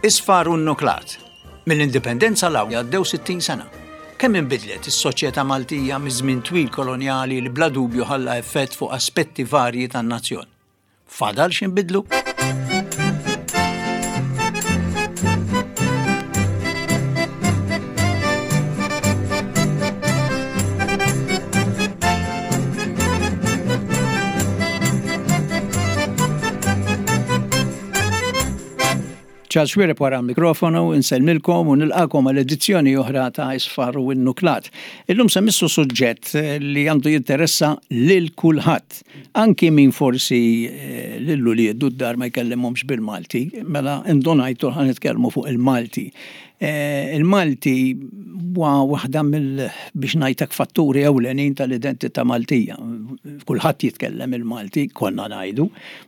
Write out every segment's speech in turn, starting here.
Isfar u nnuklat. Mill-Indipendenza 'l hawn għaddew 60 sena. Kemm inbidlet is-soċjetà Maltija miż-żmien twil kolonjali li bla dubju ħalla effett fuq aspetti varji tan-nazzjon? Fadal x'inbidlu? Charles Xuereb wara l-mikrofonu, insellmilkom u nilqakom għal edizzjoni oħra ta' Isfar u Innuklat. Illum se missu suġġett li għandu jinteressa lil kulħadd. Anki min forsi eh, lil uliedu d-dar ma jkellimhomx bil-Malti, mela indunajtu ħa nitkellmu fuq il-Malti. Eh, il-Malti huwa waħda mill biex ngħidlek fatturi ewlenin tal-identità Maltija. Kulħadd jitkellem il-Malti, konna ngħidu.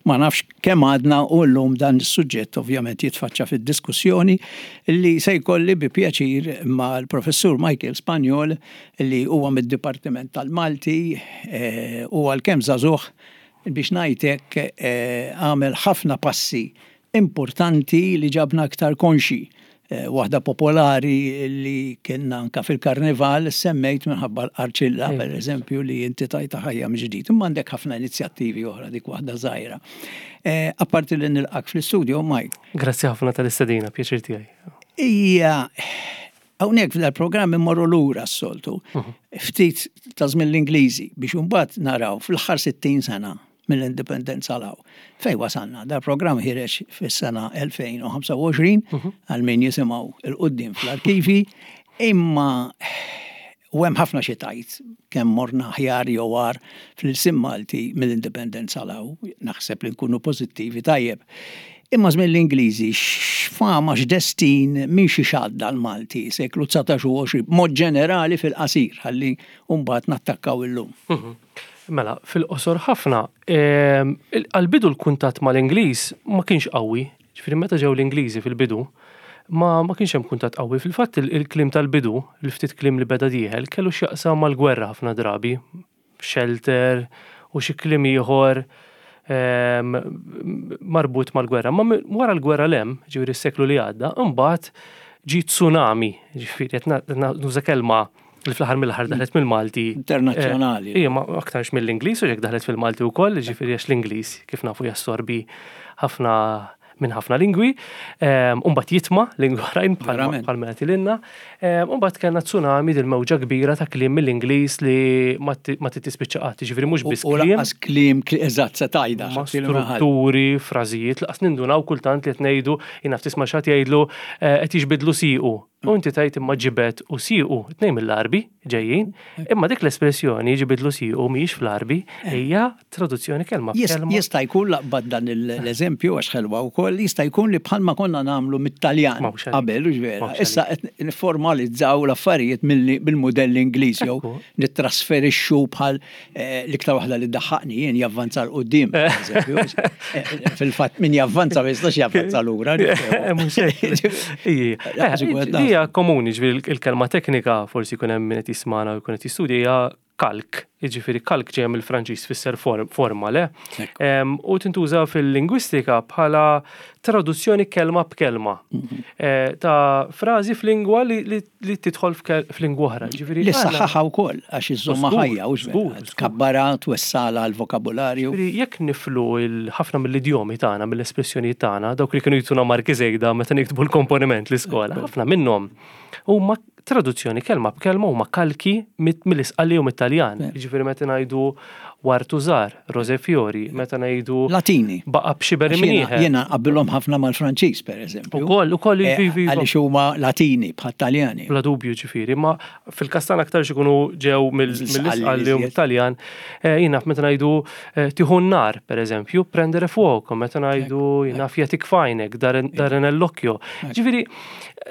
Ma nafx kemm għadna u llum dan is-suġġett ovvjament jitfaċċa fid-diskussjoni li se jkolli bi pjaċir mal-Professur Michael Spagnol li huwa mid-Dipartiment tal-Malti eh, u għalkemm żagħżugħ biex ngħidlek eh, għamel ħafna passi importanti li ġabna aktar konxji. Waħda popolari li kienna anka fil-karnival semmejt minħabba l-qarċilla, per eżempju, li inti tajta ħajja mill-ġdid. Imma għandek ħafna inizjattivi oħra dik waħda żgħira. Apparti li nilqak fl-istudio, Mike. Grazzi ħafna tal-istedina, pjaċir tiegħi. Ija, hawnhekk f'dal-programm immorru lura s-soltu, ftit ta' żmien l-Ingliżi biex imbagħad naraw fl-aħħar 60 sena mill-indipendenza 'l hawn. Fejn wasalna? Dal-programm ħireġ fis-sena 2025 mhm. għal min jisimgħu il-qudiem fl-arkivi, imma u hemm ħafna xi tajt kemm morna aħjar jew agħar fl-ilsien Malti mill-indipendenza 'l hawn, naħseb li nkunu pożittivi tajjeb. Imma żmien l-Ingliżi x'fama x'destin minn xi xadda l-Malti seklu 19 u 20 b'mod ġenerali fil-qasir ħalli mbagħad nattakkaw illum. Mhm. Mela, fil-qosor ħafna, għall-bidu l-kuntatt mal-Ingliż ma kienx qawwi. Ġifieri meta ġew l-Ingliżi fil-bidu, ma, ma kienx hemm kuntatt qawwi. Fil-fatt il-kliem tal-bidu, il-ftit kliem li beda dieħel, kellu x'jaqsam mal-gwerra ħafna drabi. Shelter u xi kliem ieħor marbut mal-gwerra. Ma wara l-gwerra 'l hemm, ġifieri s-seklu li għadda, imbagħad ġie tsunami, ġifieri qed nuża kelma li fl-aħħar mill-aħħar daħlet mill-Malti. Internazzjonali. Eh, ija, ma aktarx mill-Ingliż u jekk daħlet fil-Malti wkoll, ġifieri għax l-Ingliż kif nafu jassorbi ħafna minn ħafna lingwi, ehm, Umbat jitma lingwi oħrajn bħal mela tilinna. Ehm, Umbat kellna tsunami dil-mewġa kbira ta' kliem mill-Ingliż li ma titispiċċa qatt, ġifieri mhux biss kliem. U lanqas kliem eżatt se tajda. Ma strutturi, frażijiet, laqas nindunaw kultant li qed ngħidu, jien naf tisma' xi jgħidlu eh, qed jiġbidlu siequ. U inti tgħid imma ġibed u siequ, tnejn mill-Għarbi ġejjin, imma dik l-espressjoni ġibidlu siequ mhijiex fl-Għarbi, hija traduzzjoni kelma b'kelma. Jista' jkun laqbad dan l-eżempju għax ħelwa wkoll, jista' jkun li bħalma konna nagħmlu mit-Taljan qabel, hux vera? Issa qed nifformalizzaw l-affarijiet bil-mudell Ingliż jew nittrasferixxu bħal Eh, l-iktar waħda li ddaħħaqni jien javvanza 'l quddiem eh, Fil-fatt min javvanza ma jistax javvanza lura. Eh, hija komuni ġifieri il-kelma teknika forsi jkun hemm min qed jismana u jkun qed jistudja hija kalk, jiġifieri kalk ġejja mill-Franċiż tfisser forma le. U tintuża fil-lingwistika bħala traduzzjoni kelma b'kelma mhm. ta' frażi f'lingwa li li tidħol f'lingwa oħra. Ġifieri li saħħaħa wkoll għax iżżommha ħajja u tkabbara twessala l-vokabularju. Ġifieri jekk niflu ħafna mill-idjomi tagħna, mill-espressjonijiet tagħna, dawk li kienu jtuna marki żejda meta niktbu l-komponiment l-iskola, ħafna minnhom huma traduzzjoni kelma b'kelma huma kalki mill-Isqalli u mit-Taljan. Ġifieri meta ngħidu wartu żgħar, rose fiori, meta ngħidu. Latini. Baqa' b'xiber imnieħer. Jiena nqabbilhom ħafna mal-Franċiż, pereżempju. Ukoll, ukoll, iva, iva. Għaliex huma Latini bħat-Taljani. Bla dubju, ġifieri, imma fil-każ tagħna aktarx ikunu ġew mill-Isqalli u mit-Taljan. Jien naf meta ngħidu tieħu n-nar, pereżempju, prendere fuoco, meta ngħidu jien naf jagħtik f'għajnek, dare nell'occhio. Ġifieri,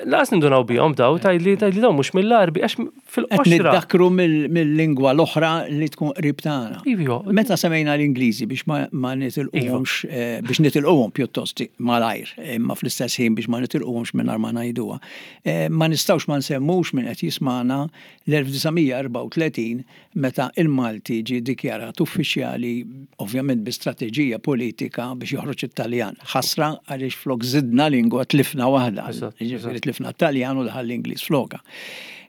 lanqas nindunaw bihom daw, tgħidli tgħidli dawn mhux mill-Għarbi għax fil-qoxra. Qed niddakru mill-lingwa l-oħra li tkun qrib tagħna. Iva. Iva. Meta semmejna l-Ingliżi biex ma nitilquhomx, eh, biex nitilquhom pjuttost malajr, imma fl-istess ħin biex ma nitilquhomx mingħajr ma ngħiduha. Eh, ma nistgħux ma nsemmux min qed jismagħna l-1934 meta il-Malti ġie dikjarat uffiċjali ovvjament bi strateġija politika biex joħroġ it-Taljan. Ħasra għaliex flok żidna lingwa tlifna waħda. Jiġifieri tlifna t-Taljan u daħal l-Ingliż flokha.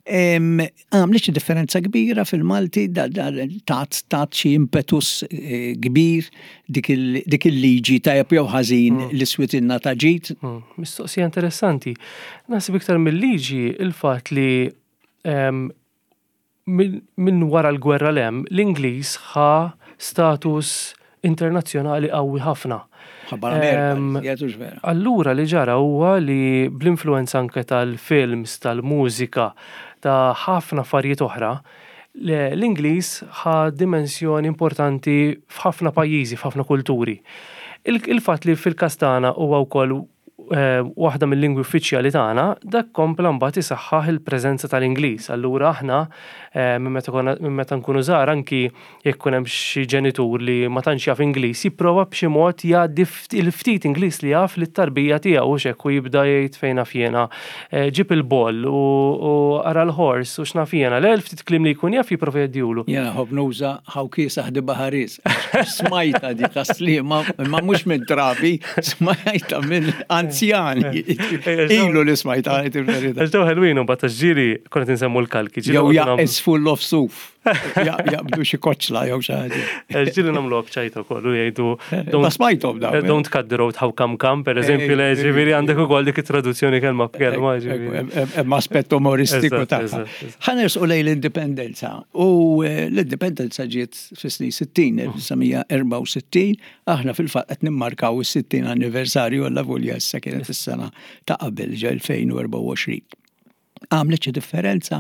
Għamlet xi differenza kbira fil-Malti, tat tat xi impetus eh, kbir dik il-liġi tajjeb jew ħażin mm. li switilna ta' ġid. Mm. Mistoqsija interessanti. Naħseb iktar mill-liġi il-fatt li minn wara l-gwerra 'l hemm, l-Ingliż ħa status internazzjonali qawwi ħafna. Allura li ġara huwa li bl-influenza anke tal-films, tal-mużika, ta' ħafna affarijiet oħra, l-Ingliż ħa dimensjoni importanti f'ħafna pajjiżi, f'ħafna kulturi. Il-fatt li fil-każ tagħna huwa wkoll waħda mill-lingwi uffiċjali tagħna, dak kompla mbagħad isaħħaħ il-preżenza tal-Ingliż. Allura aħna minn meta konna minn meta nkunu żgħar anki jekk ikun hemm xi ġenitur li ma tantx jaf Ingliż, jipprova b'xi mod jgħaddi il-ftit Ingliż li jaf lit-tarbija tiegħu hux hekk u jibda jgħid fejn naf jiena ġib il-ball u ara l-horse u x'naf jiena. Le l-ftit kliem li jkun jaf jipprova jgħaddihulu. Jiena nħobb nuża how kiesaħ di baħaris. Smajta di tas-Sliema imma mhux minn trabi, smajta minn anzjani. Ilu li smajta għajt il-verità. Għax daw ħelwin u bat ġiri konna tinsemmu l-kalki. Jew is full of suf. Jaqbdu xi koċla jew xi ħaġa. Ġiri nagħmlu bċajta wkoll u jgħidu. Ma smajthom dawn. Eh, don't cut the road how come come, per eżempju, le ġifieri għandek ukoll dik it-traduzzjoni kelma b'kelma. Hemm aspett umoristiku tagħha. Ħa nersqu lejn l-indipendenza. U eh, l-indipendenza ġiet fis-snin 60, 1964, aħna fil-fatt qed nimmarkaw is-60 anniversarju għalla volja issa kienet is-sena ta' qabel ġa 2024. Għamlet xi differenza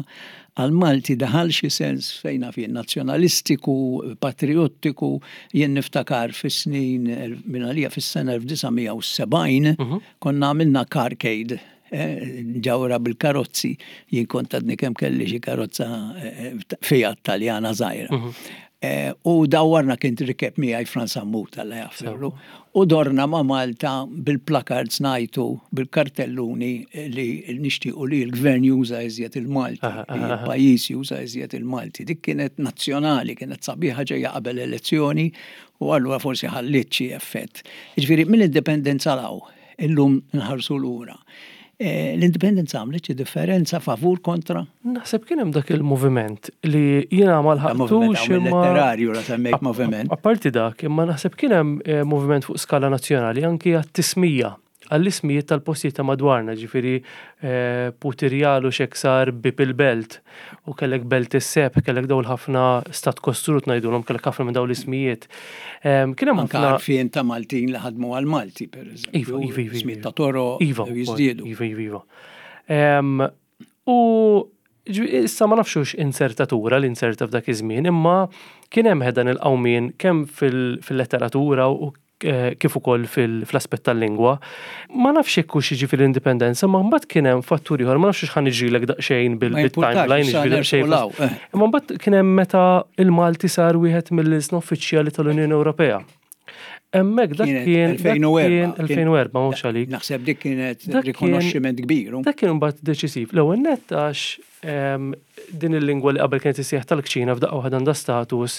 għal Malti daħal xi sens fejn naf jien nazzjonalistiku, patriottiku, jien niftakar fis-snin minn għalija fis-sena 1970 mhm. konna għamilna carcade eh, ġawra bil-karozzi, jien kont għadni kemm kelli xi karozza eh, Fiat Taljana żgħira. Mhm. Eh, u dawwarna kien rikeb miegħi Frans Sammut alla jaffirlu. U dorna ma' Malta bil-placards ngħajtu bil-kartelluni li nixtiequ li l-gvern juża iżjed il-Malti, li l-pajjiż juża iżjed il-Malti. Dik kienet nazzjonali, kienet sabiħa ġejja qabel elezzjoni u allura forsi ħalliet xi effett. Jiġifieri mill-indipendenza 'l hawn, Illum nħarsu lura. Eh, l-indipendenza għamlet xi differenza favur kontra? Naħseb kien hemm dak il-moviment li jiena ma lħaqtux imma. Letterarju la semmejt moviment. Apparti dak, imma naħseb kien hemm eh, moviment fuq skala nazzjonali anki għat-tismija għall-ismijiet tal-postijiet ta' madwarna, ġifiri eh, Putirjal u Xeksar bib il-belt, u kellek Belt is-Sebħ, kellek dawl ħafna stat kostrut ngħidulhom, kellek ħafna minn dawn l-ismijiet. Kien hemm ħafna għarfien ta' Maltin li ħadmu għal Malti, per eżempju. Iva, iva, iva. Ismijiet ta' toro, iva, jiżdiedu. Iva, iva, iva. U issa ma nafxux insertatura li inserta f'dak iż-żmien, imma kien hemm dan il-qawmien kemm fil-letteratura u eh, kif ukoll fl-aspett tal-lingwa. Ma nafx jekk hux jiġifieri l-indipendenza, ma mbagħad kien hemm fattur ieħor, ma nafx x'ħan niġrilek daqsxejn bil-timeline, jiġifieri daqsxejn. Eh. Imma mbagħad kien hemm meta il-Malti sar wieħed mill-ilsna uffiċjali tal-Unjoni Ewropea. Hemmhekk dak kien 2004, 2004 mhux għalik. Naħseb dik kienet rikonoxximent kbir. Dak kien mbagħad deċisiv. L-ewwel nett għax din il-lingwa li qabel kienet issejjaħ tal-kċina f'daqqa waħda għandha status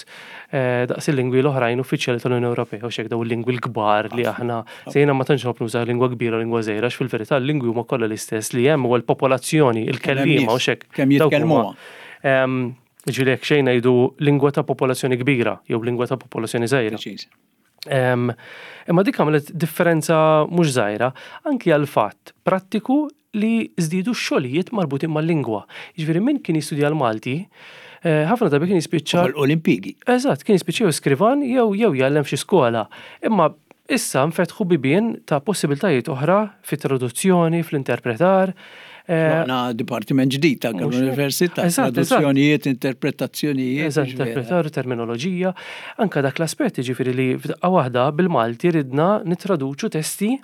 eh, daqs il-lingwi l-oħrajn uffiċjali tal-Unjoni Ewropea u xek daw il-lingwi l-kbar li aħna sejna ma tantx nħobb nuża lingwa kbira u lingwa żgħira għax fil-verità l-lingwi huma kollha l-istess li hemm huwa l-popolazzjoni, il-kelliema u xek. Kemm jitkellmuha. Ġifieri jekk xejn ngħidu lingwa ta' popolazzjoni kbira jew lingwa ta' popolazzjoni żgħira. Imma dik għamlet differenza mhux żgħira anki għal fatt prattiku li żdiedu x-xogħlijiet marbutin mal-lingwa. Jiġifieri min kien jistudja l-Malti, eh, ħafna drabi kien jispiċċa. Olimpigi. Eżatt, kien jispiċċa jew skrivan jew jew jgħallem f'xi skola. Imma issa nfetħu bibien ta' possibiltajiet oħra fit-traduzzjoni, fl-interpretar. Eh, Għandna dipartiment ġdid ta' l-università, traduzzjonijiet, interpretazzjonijiet. Eżatt, interpretar, terminoloġija. Anka dak l-aspett ġifieri li f'daqqa waħda bil-Malti ridna nittraduċu testi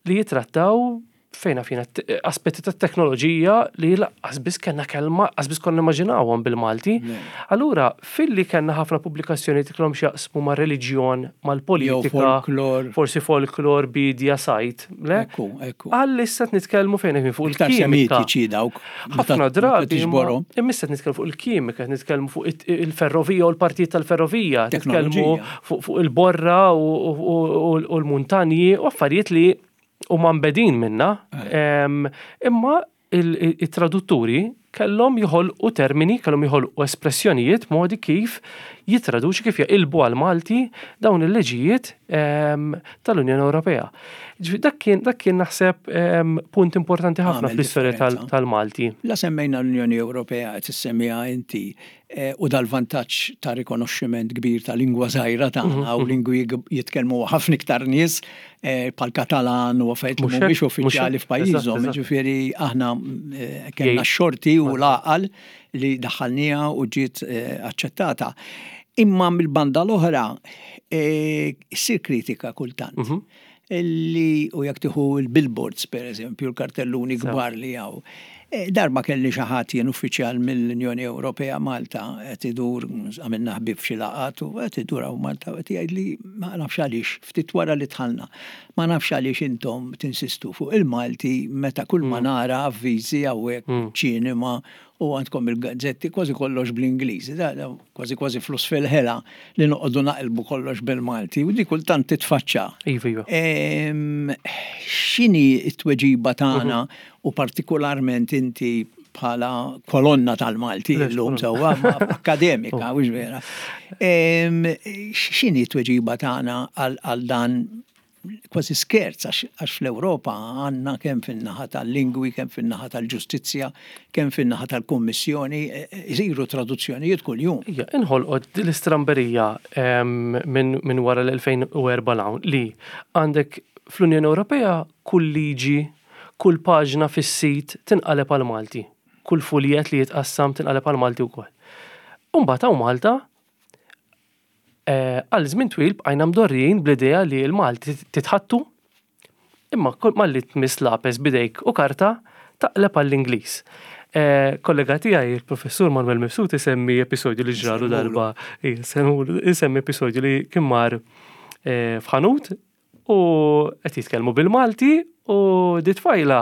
li jitrattaw. fejna fina aspetti ta' teknoloġija li laqqas biss kellna kelma, qas biss konna immaġinawhom bil-Malti. Allura, filli kellna ħafna pubblikazzjoni li kellhom x'jaqsmu ma' reliġjon, mal-politika, forsi folklor, bidja, sajt, le? Ekku, ekku. Għal issa nitkellmu fejn qed fuq il-kimika. dawk. Ħafna drabi. Imma issa nitkellmu fuq il-kimika, nitkellmu fuq il-ferrovija u l-partijiet tal-ferrovija, nitkellmu fuq il-borra u l-muntanji u affarijiet li huma mbedin minna, imma it-tradutturi kellhom joħolqu termini, kellhom joħolqu espressjonijiet, modi kif jittraduċu, kif jaqilbu għall-Malti dawn il-liġijiet tal-Unjoni Ewropea. Ġifieri dak kien dak kien naħseb punt importanti ħafna fl-istorja tal-Malti. La semmejna l-Unjoni Ewropea qed issemmiha inti, u dal-vantaġġ ta' rikonoxximent kbir ta' lingwa żgħira tagħna u lingwi jitkellmu ħafna iktar nies bħal Katalan u affarijiet li mhumiex uffiċjali f'pajjiżhom. Ġifieri aħna kellna x-xorti u l-għaqal li daħħalniha u ġiet aċċettata. Imma mill-banda l-oħra ssir kritika kultant. Li u jekk tieħu l-billboards pereżempju, l-kartelluni kbar li hawn. E, darba kelli xi ħadd jien uffiċjal mill-Unjoni Ewropea Malta qed idur għamilna ħbieb f'xi laqgħat u qed idur hawn Malta u qed jgħidli ma nafx għaliex ftit wara li dħalna ma nafx għaliex intom tinsistu fuq il-Malti meta kull ma nara avviżi hawnhekk ċinema u għandkom il-gazzetti kważi kollox bl-Ingliż. Kważi kważi flus fil-ħela li noqogħdu naqilbu kollox bil-Malti u di kultant titfaċċa. Iva, iva. X'inhi t-tweġiba tagħna u partikolarment inti bħala kolonna tal-Malti llum sewwa akademika, mhux vera. X'inhi t-tweġiba tagħna għal dan kważi skerz għax fl-Ewropa għandna kemm fin-naħa tal-lingwi, kemm fin-naħa tal-ġustizzja, kemm fin-naħa tal-Kummissjoni, isiru traduzzjonijiet kuljum. Ija, inħolqot din l-istramberija minn wara l-2004 'l hawn li għandek fl-Unjoni Ewropea kull liġi, kull paġna fis-sit tinqaleb għall-Malti, kull fuljett li jitqassam tinqaleb għall-Malti wkoll. U mbagħad hawn Malta Għal żmien twil bqajna mdorrijin bl-idea li l-Malti titħattu, imma malli tmiss lapes b'idejk u karta, taqleb għall-Ingliż. Kollega tiegħi, il-Professur Manuel Mifsud isemmi episodju li ġralu darba, isemmi episodju li kien mar f'ħanut U qed jitkellmu bil-Malti u di tfajla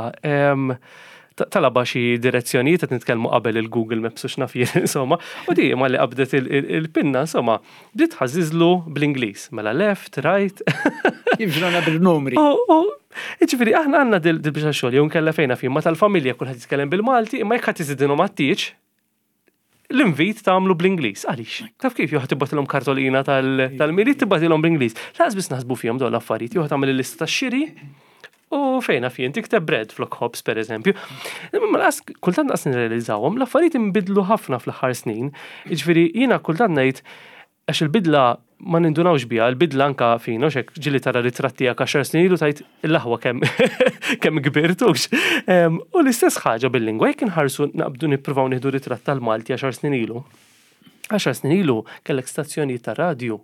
talaba xi direzzjonijiet qed nitkellmu qabel il-Google Maps u x'naf jien insomma. U di malli qabdet il-pinna insomma bdiet tħażżiżlu bl-Ingliż. Mela left, right. Kif ġrana bil-numri. U jiġifieri aħna għandna dil-biċċa xogħol jew inkella fejn naf jien ma tal-familja kulħadd jitkellem bil-Malti imma jekk ħadd iżidilhom għat-tieġ l-invit tagħmlu bl-Ingliż. Għaliex? Taf kif jew tibgħatilhom kartolina tal-Milied tibgħatilhom bl-Ingliż. Laqas biss naħsbu fihom dawn l-affarijiet, jew tagħmel il-lista tax-xiri u fejn naf jien tikteb bread flok ħobż pereżempju. Imma laqas kultant laqas nirrealizzawhom, l-affarijiet inbidlu ħafna fl-aħħar snin. Jiġifieri jiena kultant ngħid Għax il-bidla ma nindunawx biha, il-bidla anka fina, u xek ġili tara ritratt tiegħek għaxar snin ilu tajt l-aħwa kemm kemm kbirtux. U l-istess ħaġa bil-lingwa, jekk inħarsu naqbdu nippruvaw nieħdu ritratt tal-Malti għaxar snin ilu. Għaxar snin ilu kellek stazzjonijiet ta' radju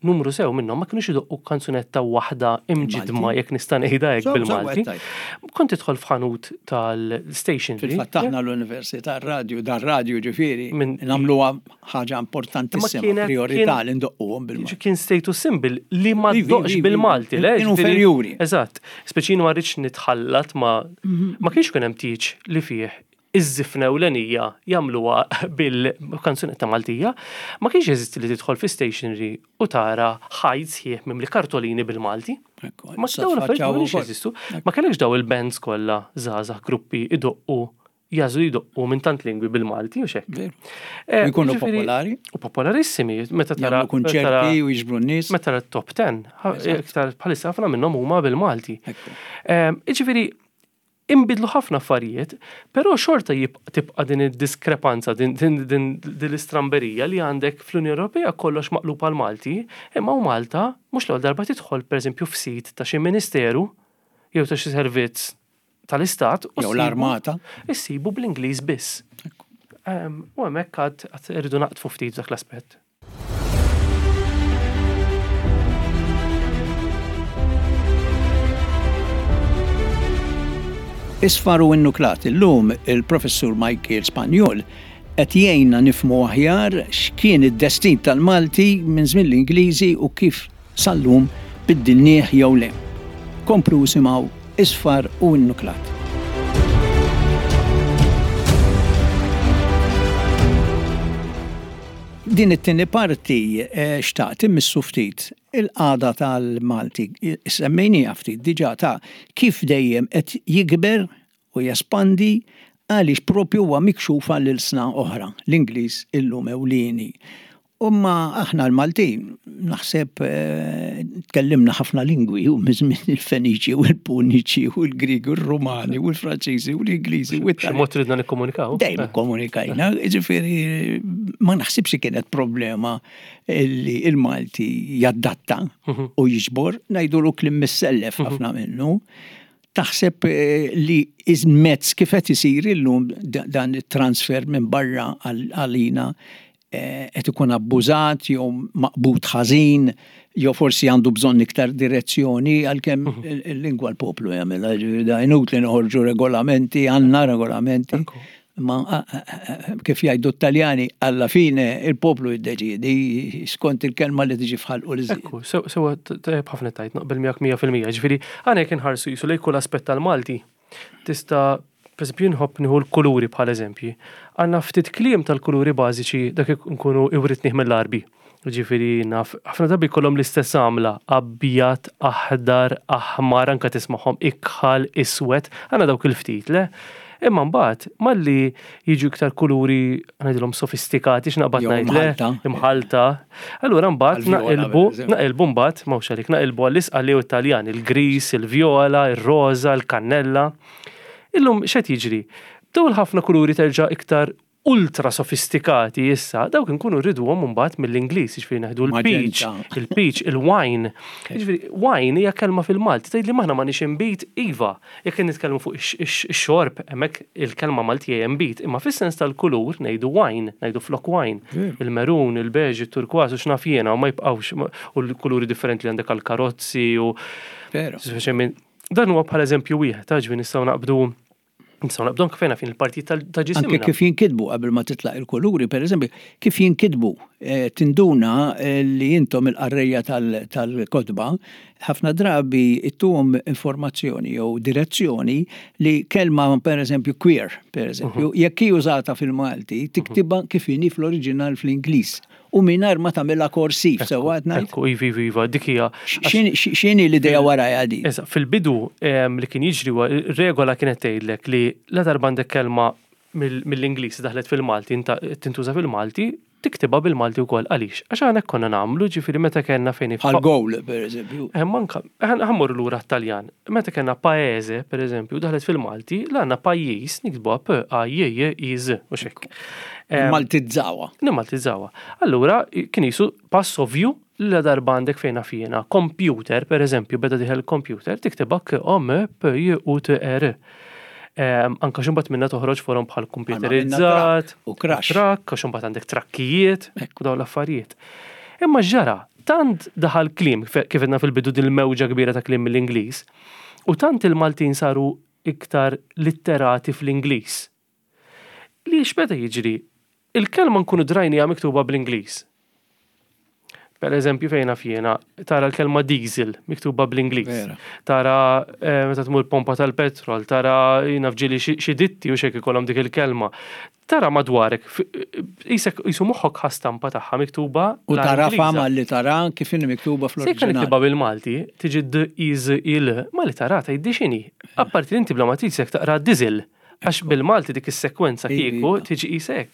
numru sew minnhom ma kinux idoqqu kanzunetta waħda imġidma jekk nista' ngħidha hekk bil-Malti. Kont tidħol f'ħanut tal-station. Fil-fatt aħna l-Università radju, dar radju ġifieri, nagħmluha ħaġa importantissima, priorità li ndoqquhom bil-Malti. Kien status symbol li ma ddoqx bil-Malti, le? Kienu inferjuri. Eżatt. Speċi ma rridx nitħallat ma ma kienx kien hemm tieġ li fih iż-żifna ewlenija jagħmluha bil-kanzunetta Maltija, ma kienx jeżisti li tidħol fi stationery u tara ħajt sħiħ mimli kartolini bil-Malti. Ma dawn l-affarijiet ma kienx jeżistu. Ma kellekx daw il-bands kollha żgħażagħ gruppi idoqqu jagħżlu jdoqqu minn tant lingwi bil-Malti u xekk. Eh, jkunu popolari. U popolarissimi, meta tara. Kunċerti u jiġbru n-nies. Meta tara top 10, iktar bħalissa ħafna minnhom huma bil-Malti. Ehm, jiġifieri imbidlu ħafna affarijiet, però xorta tibqa' din id-diskrepanza, din l-istramberija li għandek fl-Unjoni Ewropea kollox maqlub għal Malti, imma u Malta mhux l-ewwel darba tidħol pereżempju f'sit ta' xi ministeru jew ta' xi servizz tal-istat u jew l-armata. Issibu bl-Ingliż biss. U hemmhekk għad irridu naqtfu ftit dak l-aspett. Isfar u Innuklat. Illum il-Professur Michael Spagnol qed jgħinna nifhmu aħjar x'kien id-destin tal-Malti minn żmien l-Ingliżi u kif sal-lum biddilnieh jew le. Komplu isimgħu Isfar u Innuklat. Din it-tieni parti eh, xtaqt immissu ftit il-qagħda tal-Malti. Semmejniha ftit diġà ta' kif dejjem qed jikber u jespandi għaliex propju huwa mikxuf għal ilsna oħra, l-Ingliż illum ewlieni. Imma aħna l-Maltin naħseb tkellimna ħafna lingwi u miż-żmien il-Feniċi u l-Puniċi u l-Griegi u r-Rumani u l-Franċiżi u l-Ingliżi u B'xi mod ridna nikkomunikaw. Dejjem ikkomunikajna, jiġifieri ma naħsibx li kienet problema li l-Malti jadatta u jiġbor, ngħidulu kliem missellef ħafna minnu. Taħseb li mezz kif qed isir illum dan it-transfer minn barra għalina qed ikun abbużat jew maqbud ħażin jew forsi għandu bżonn iktar direzzjoni għalkemm il-lingwa l-poplu jagħmilha, ġifieri da inutli noħorġu regolamenti, għandna regolamenti. Ma kif jgħidu t-Taljani, alla fine il-poplu jiddeċiedi skont il-kelma li tiġi f'ħalqu li Ekku, sewa tajjeb ħafna tajt, naqbel miegħek 100%. Ġifieri, għana jekk inħarsu jisu lejn kull aspett tal-Malti, tista' pereżempju nħobb nieħu l-kuluri bħal eżempji. Għandna ftit kliem tal-kuluri bażiċi dak nkunu iwritnih mill-Għarbi. Ġifieri naf, ħafna drabi jkollhom l-istess għamla, abjad, aħdar, aħmar, anke tismagħhom ikħal, iswed, għandna dawk il-ftit, le? Imma mbagħad malli jiġu iktar kuluri ngħidilhom sofistikati x'naqbad ngħid le, imħalta. Allura mbagħad naqilbu, naqilbu mbagħad m'hawnx għalik, naqilbu għall-isqalli u t-Taljan, il-gris, il-vjola, ir-roża, il-kannella. Illum x'qed jiġri? Dawn il-ħafna kuluri terġa' iktar ultra sofistikati issa, dawk inkunu rriduhom imbagħad mill-Ingliż, jiġifieri neħdu l-peach, il-peach, il-wine. Jiġifieri wine hija kelma fil-Malti, tgħidli m'aħna m'għandniex inbid, iva, jekk nitkellmu fuq ix-xorb, hemmhekk il-kelma Maltija hija inbid, imma fis-sens tal-kulur ngħidu wine, ngħidu flok wine. Il-maroon, il-beige, it-turkważ u x'naf jiena u ma jibqgħux u l-kuluri differenti li għandek għall-karozzi u. Dan huwa bħala eżempju wieħed, ġifieri nistgħu naqbdu Nistgħu naqbdu anke fejn fin il-partijiet ta' ġisimna. Anke kif jinkitbu qabel ma titlaq il-kuluri, pereżempju, kif jinkitbu eh, tinduna eh, li intom il-qarrejja tal-kotba ħafna drabi ittuhom informazzjoni jew direzzjoni li kelma pereżempju queer, pereżempju, mhm. jekk hi użata fil-Malti, tiktibha kif inhi fl-oriġinal fl-Ingliż u mingħajr ma tagħmilha korsiv, sewwa qed ngħid? Ekku, iva, iva, iva, dik hija. X'inhi l-idea warajha di? Eżatt, fil-bidu li kien jiġri huwa regola kienet tgħidlek li la darba għandek kelma mill-Ingliż daħlet fil-Malti, tintuża fil-Malti, tiktibha bil-Malti wkoll. Għaliex? Għax aħna hekk konna nagħmlu, ġifieri meta kellna fejn. Bħal goal, pereżempju. Manka, ħa mmorru lura għat-Taljan. Meta kellna paese, pereżempju, daħlet fil-Malti, la għandna pajjiż niktbuha P-A-J-J-I-Z, mhux hekk. Nimmaltizzawha. Nimmaltizzawha. Allura, kien qisu pass ovvju li la darba għandek fejn naf jiena, computer, per eżempju, beda dieħel computer, tiktibha K-O-M-P-J-U-T-E-R. Anka x'imbagħad minnha toħroġ forom bħal computerizzat, u crash. Trakk, għax imbagħad għandek trakkijiet, u dawn l-affarijiet. Imma x'ġara? Tant daħal kliem, kif għedna fil-bidu din il-mewġa kbira ta' kliem mill-Ingliż, u tant il-Maltin saru iktar litterati fl-Ingliż. Li x'beda jiġri? Il-kelma nkunu drajniha miktuba bl-Ingliż. Per eżempju, fejn naf jiena, tara l-kelma diesel miktuba bl-Ingliż. Tara eh, meta tmur pompa tal-petrol, tara jiena fġili xi ditti u xek ikollhom dik il-kelma. Tara madwarek, jisek jisu moħħok ħa stampa tagħha miktuba. U tara fama li tara kif inhi miktuba fl-oriġinal. Se niktiba bil-Malti, tiġi d i z i l, ma li tara tgħiddi x'inhi. Apparti li inti bla ma trid taqra diesel. Għax bil-Malti dik is-sekwenza kieku tiġi qisek.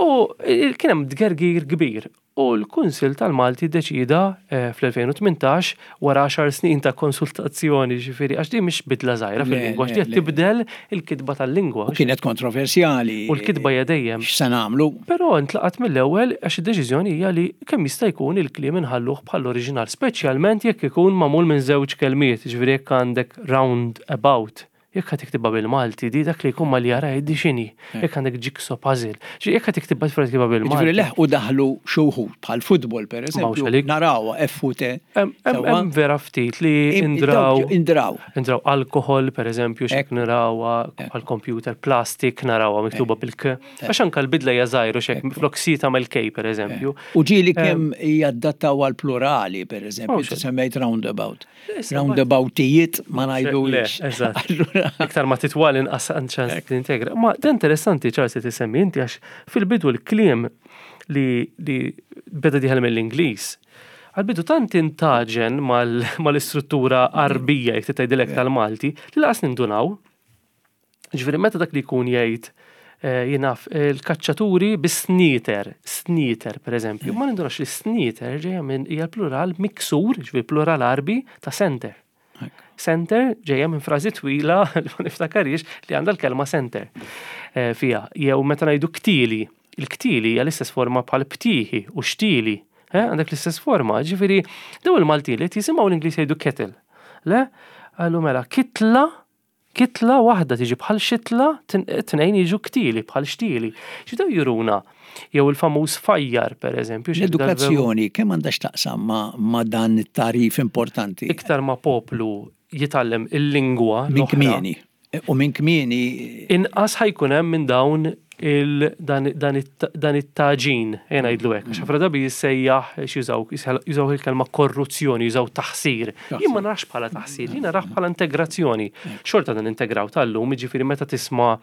U kien hemm tgergir kbir u l-Kunsill tal-Malti ddeċieda eh, fl-2018 wara 10 snin ta' konsultazzjoni ġifieri għax din mhix bidla żgħira fil-lingwa, għax tibdel il-kitba tal-lingwa. U kienet kontroversjali. U l-kitba hija dejjem. X'se nagħmlu? Però ntlaqat mill-ewwel għax id-deċiżjoni hija li kemm jista' jkun il-kliem inħalluh bħall-oriġinal, speċjalment jekk ikun magħmul minn żewġ kelmiet, ġifieri jekk għandek round about. Jekk ħa tiktibha bil-Malti, di dak li jkun mal jara jgħid di x'inhi. Jekk għandek jigsaw puzzle. Jekk ħa tiktibha tfra tiktibha bil-Malti. Ġifieri leħqu daħlu xi wħud bħal futbol pereżempju. Narawha F u T. Hemm vera ftit li indraw. Indraw. Indraw alkohol pereżempju x'hekk narawha bħal computer, plastik narawha miktuba bil-K. Għax anke l-bidla hija żgħir u x'hekk flok C tagħmel K pereżempju. U ġieli kemm jadattaw għal plurali pereżempju, semmejt roundabout. Roundaboutijiet ma ngħidux. Eżatt. Iktar ma titwal inqas ċans tintegra. Ma da interessanti Charles li tisemmi inti għax fil-bidu l-kliem li beda dieħel mill-Ingliż. Għal-bidu tant intaġen mal-istruttura arbija jekk tgħidilek tal-Malti li laqas nindunaw. Ġifieri meta dak li jkun jgħid eh, jinaf il-kaċċaturi bis-sniter, sniter per eżempju, ma nindunax li sniter ġejja minn hija plural miksur, ġifieri plural arbi ta' center. Center ġejja minn frażi twila li ma niftakarix li għandha l-kelma center eh, fiha. Jew meta ngħidu ktili, il-ktili hija l-istess forma bħal ptiħi u xtili. Eh, għandek l-istess forma, ġifieri daw il-Maltin li jisimgħu l-Ingliż jgħidu kettle. Le, għallu mela kitla Kitla waħda tiġi bħal xitla, tnejn jiġu ktili bħal xtieli. X'daw juruna? Jew il-famuż fajjar, per eżempju. L-edukazzjoni kemm għandha x'taqsam ma' dan it-tagħrif importanti? Iktar ma poplu jitgħallem il-lingwa. Minn kmieni. U minn kmieni. Inqas ħa jkun hemm minn dawn dan it-taġin, ejja ngħidlu hekk, għax ħafna drabi jissejjaħ jużaw jużaw il-kelma korruzzjoni, jużaw taħsir. Jien ma narax bħala taħsir, jien narah bħala integrazzjoni. Xorta dan integraw tal-lum, jiġifieri meta tisma'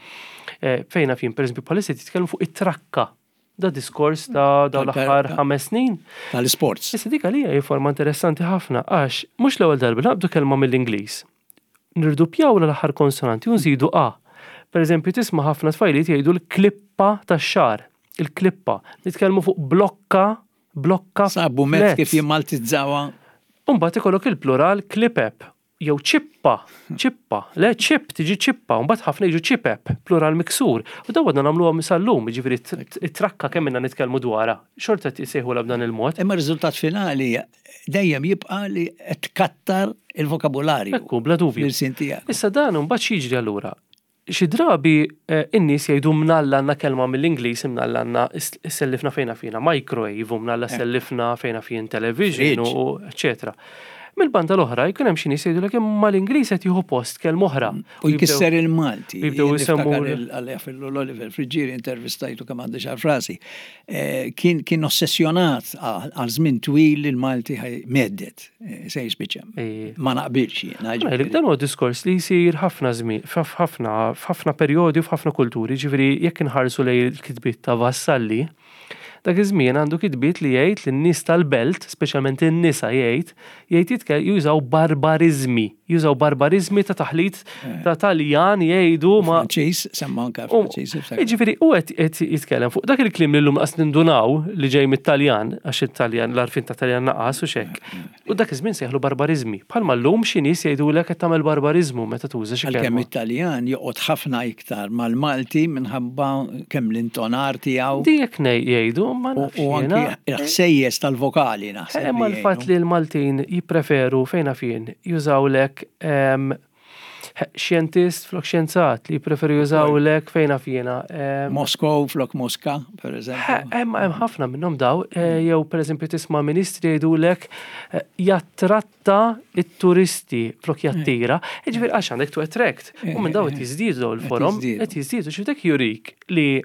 eh, fejn naf jien pereżempju bħalissa jitkellmu fuq it-trakka. Da diskors ta' dawn l-aħħar 5 snin. Tal-isports. Issa dik għalija hi forma interessanti ħafna għax mhux l-ewwel darba naqbdu kelma mill-Ingliż. Nirdupjaw l-aħħar konsonanti u nżidu a. Per eżempju, tisma' ħafna tfajliet jgħidu l-klippa tax-xagħar, il-klippa. Nitkellmu fuq blokka, blokka. Sabu mezz kif jimmaltizzawha. U mbagħad ikollok il-plural klipep jew ċippa, ċippa, le ċip tiġi ċippa, u mbagħad ħafna jiġu ċipep, plural miksur. U dawn għadna nagħmluhom sal-lum, jiġifieri t-trakka kemm ilna nitkellmu dwarha, xorta qed isejħulha b'dan il-mod. Imma r-riżultat finali dejjem jibqa' li qed tkattar il-vokabularju. Ekku, bla dubju. L-ilsien tiegħek. Issa dan imbagħad x'jiġri allura? Xi drabi eh, in-nies jgħidu mnalla għandna kelma mill-Ingliż imnalla għandna sellifna fejna fina microwave u mnalla eh. sellifna fejna fin television u eċetera. Mill-banda l-oħra jkun hemm xi nies jgħidulek imma l-Ingliż qed jieħu post kelma oħra. U jkisser il-Malti. Jibdew isemmu. L-Oliver Friggieri intervistajtu kemm għandi xar frasi. Eh, kien kien ossessjonat għal żmien twil li l-Malti meddet eh, se jispiċċa. Ma naqbilx jiena. Dan huwa diskors li jsir ħafna żmien, f'ħafna f'ħafna perjodi u f'ħafna kulturi, ġifieri jekk inħarsu lejn il-kitbiet ta' Vassalli, dak iż-żmien għandu kitbiet li jgħid li n-nies tal-belt, speċjalment in-nisa jgħid, jgħid jużaw barbariżmi, jużaw barbariżmi ta' taħlit eh. ta' Taljan jgħidu ma' Franċiż, semma anke Franċiż. Jiġifieri u qed jitkellem fuq dak il-kliem li llum qas nindunaw li ġej mit-Taljan, għax it-Taljan l-għarfien ta' Taljan naqas u xek. Eh, eh. U dak iż-żmien sejħlu barbariżmi. Bħalma llum xi nies jgħidulek qed tagħmel barbariżmu meta tuża xi kelma. Għalkemm it-Taljan joqgħod ħafna iktar mal-Malti minħabba kemm l-intonar tiegħu. Dik hekk jgħidu, ma nafx. U anki l-ħsejjes tal-vokali naħseb. Imma l-fatt li l-Maltin jippreferu fejn naf jien jużawlek xjentist flok xjenzat li jippreferu jużawlek fejn naf jiena. Moskow flok Moska, per eżempju. Hemm hemm ħafna minnhom daw, eh, jew per eżempju tisma' ministri jgħidulek eh, jattratta it-turisti flok jattira, jiġifieri għax għandek to attract. U minn daw qed jiżdiedu daw il-forom, qed jiżdiedu xi dak jurik li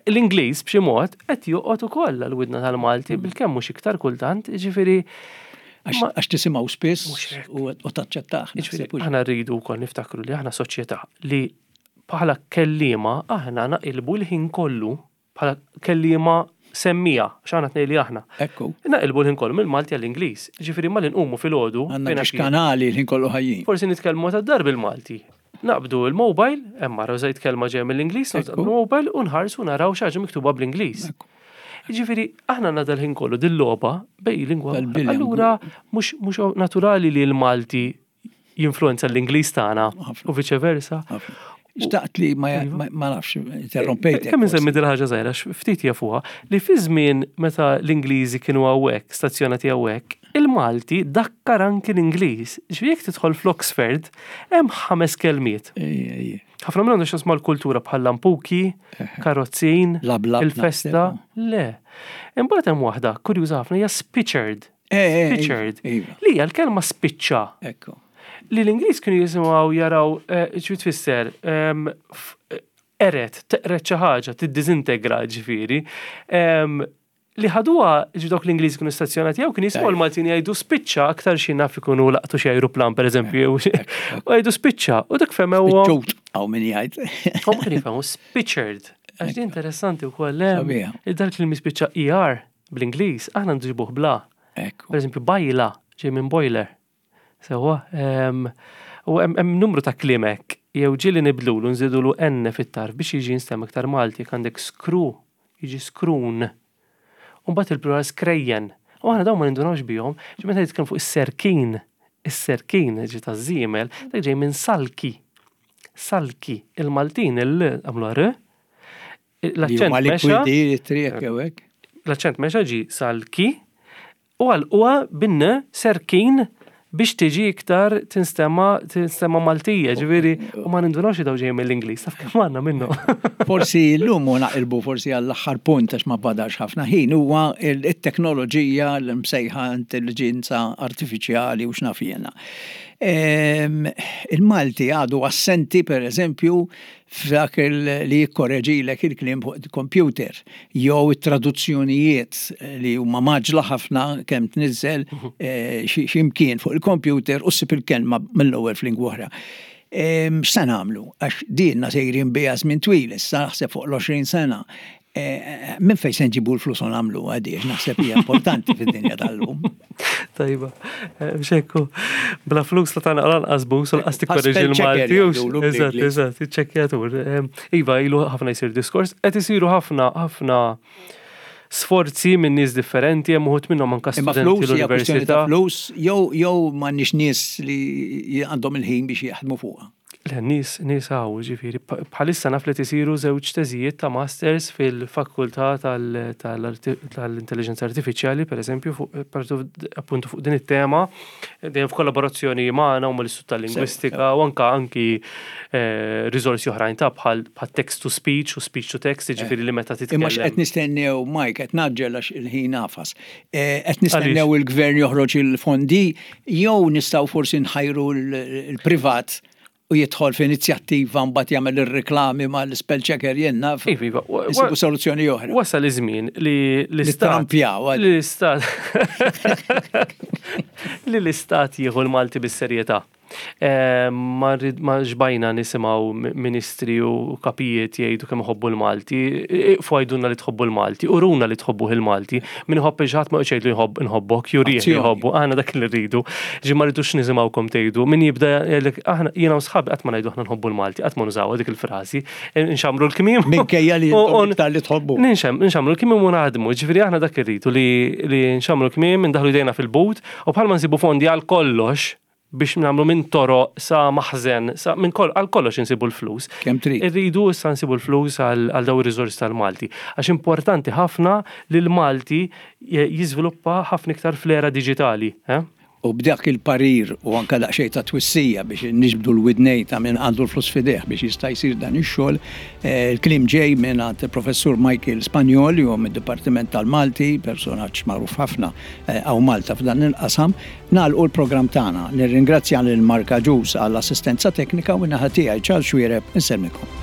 l-Ingliż b'xi mod qed joqgħod ukoll għall-widna tal-Malti bilkemm mhux iktar kultant, jiġifieri Għax tisimgħu spiss u taċċettah. Jiġifieri aħna rridu wkoll niftakru li aħna soċjetà li bħala kelliema aħna naqilbu l-ħin kollu bħala kelliema semmija, x'aħna tnej li aħna. Ekku. Naqilbu l-ħin kollu mill-Malti għall-Ingliż. Ġifieri malli nqumu filgħodu. Għandna xi kanali l-ħin kollu ħajjin. Forsi nitkellmu ta' dar bil-Malti. Naqbdu l-mobile, hemm mara użajt kelma ġejja mill-Ingliż, naqbdu l-mobile u nħarsu naraw xi ħaġa miktuba bl-Ingliż. Jiġifieri aħna għandna dal-ħin kollu dil-logħba bej lingwa. Allura mhux naturali li l-Malti jinfluenza l-Ingliż tagħna u viċe versa. Xtaqt li ma iva. nafx, interrompejt. Kemm insemmi dil ħaġa żgħira, ftit jafuha, li fi żmien meta l-Ingliżi kienu hawnhekk, stazzjonati hawnhekk, Il-Malti dakkar anki l-Ingliż. Ġifieri jekk tidħol fl-Oxford, hemm ħames kelmiet. Ħafna minnhom għandu x'jaqsmu mal-kultura bħal lampuki, karozzin, il-festa. Le. Imbagħad hemm waħda kurjuża ħafna hija spichard. Spichard. Li hija l-kelma spiċċa. Ekku. Li l-Ingliż kienu jisimgħu jaraw xi tfisser eret, teqret xi ħaġa, tiddiżintegra ġifieri. Li ħaduha ġi dawk l-Ingliżi kienu stazzjonati jew kien jisimgħu l-Maltin jgħidu spiċċa aktar xi naf ikunu laqtu xi ajruplan pereżempju u jgħidu spiċċa u dak fehmew. Spiċċut hawn min jgħid. Huma kienu jifhmu spiċċered. Għax din interessanti wkoll hemm. Dak li mispiċċa ER bl-Ingliż aħna nġibuh bla. Pereżempju bajla ġej minn boiler. Sewwa, u hemm numru ta' kliem hekk, jew ġieli nibdlulu nżidulu n fit-tarf biex jiġi jinstema' iktar Malti, jekk għandek skru, jiġi skrun. U mbagħad il-plural skrejjen. U aħna dawn ma nindunawx bihom, ġi meta nitkellmu fuq is-serkin, is-serkin ġi taż-żiemel, dak ġej minn salki. Salki, il-Maltin il-l għamluha r, l-aċċent mexa. L-aċċent mexa ġi salki, U għalquha bin-n serkin biex tiġi iktar tinstema' tinstema' Maltija, ġifieri u ma nindunawx li dawn ġejjin mill-Ingliż, taf kemm għandna minnhom. Forsi llum u naqilbu forsi għall-aħħar punt għax ma badax ħafna ħin huwa t-teknoloġija l-msejħa intelliġenza artifiċjali u x'naf jiena. Il-Malti għadu assenti pereżempju f'dak li jikkoreġilek il-kliem fuq il-computer jew it-traduzzjonijiet li huma mgħaġġla ħafna kemm tniżżel eh, xi mkien fuq il-computer u ssib il-kelma mill-ewwel f'lingwa oħra. X'se nagħmlu? Għax dinna sejrin biha żmien twil issa naħseb fuq l-20 sena. Eh, minn fejn se nġibu l-flus u nagħmlu għadi, naħseb hija importanti fid-dinja tal-lum. Tajba, eh, xekku, bla flus la tagħna lanqas bus u lanqas tikkorreġi l-Malti. Eżatt, eżatt, iċċekkjatur. Eh, iva, ilu ħafna jsir diskors, qed isiru ħafna ħafna sforzi minn nies differenti, hemm uħud minnhom anke studenti l-università. Flus jew jew m'għandniex nies li għandhom il-ħin biex jaħdmu fuqha. Le, nies, nies hawn, ġifieri, bħalissa naf li qed isiru żewġ teżijiet ta' masters fil-fakultà tal-intelligenza artifiċjali, pereżempju, fuq appuntu fuq din it-tema, dejjem f'kollaborazzjoni magħna u mal-Istitut tal-Lingwistika u anke anki eh, riżorsi oħrajn ta' bħal text to speech u speech to text, ġifieri li meta titkellem. Imma x'qed nistennew, Mike, qed naġġel għax il-ħin għafas. Eh, qed nistennew il-gvern joħroġ il-fondi Jew nistgħu forsi nħajru l-privat u jidħol f'inizjattiva mbagħad jagħmel ir-riklami mal-spell checker jien naf. Iva, iva. Insibu soluzzjoni oħra. Wasal iż-żmien li l-istat. Trampjaw. Li l-istat. Li l-istat jieħu l-Malti bis-serjetà. Ma xbajna nisimgħu ministri u kapijiet jgħidu kemm iħobbu l-Malti. Iqfu għidulna li tħobbu l-Malti, uruna li tħobbuh il-Malti. Min iħobb lil xi ħadd ma joqgħodx jgħidlu jħobb nħobbok, jurih li jħobbu. Aħna dak li rridu. Ġi ma rridux nisimgħukom tgħidu. Min jibda jgħidlek aħna jiena u sħabi qatt ma ngħidu aħna nħobbu l-Malti, qatt ma nużawha dik il-frażi. Nxammru l-kmiem. Minkejja li intom iktar li tħobbu. Nxammru l-kmiem u naħdmu. Ġifieri aħna dak irridu li nxammru l-kmiem, indaħħlu jdejna fil-but u bħalma nsibu fondi għal kollox biex nagħmlu minn toroq sa maħżen, sa minn kol, għal kollox insibu l-flus. Kemm trid. Irridu issa nsibu l-flus għal dawn ir-riżorsi tal-Malti. Għax importanti ħafna li l-Malti jiżviluppa ħafna iktar fl-era diġitali. Eh? U b'dak il-parir u anke daqsxejn ta' twissija biex niġbdu l-widnejn ta' min għandu l-flus f'idejh biex jista' jsir dan ix-xogħol, eh, il-kliem ġej minn għand il-Professur Michael Spagnol li huwa mid-Dipartiment tal-Malti, personaġġ magħruf ħafna eh, hawn Malta f'dan il-qasam, Nagħlqu l-programm tagħna. Nirringrazzja lil Mark Agius għall-assistenza teknika u min-naħa tiegħi Charles Xuereb insellmilkom.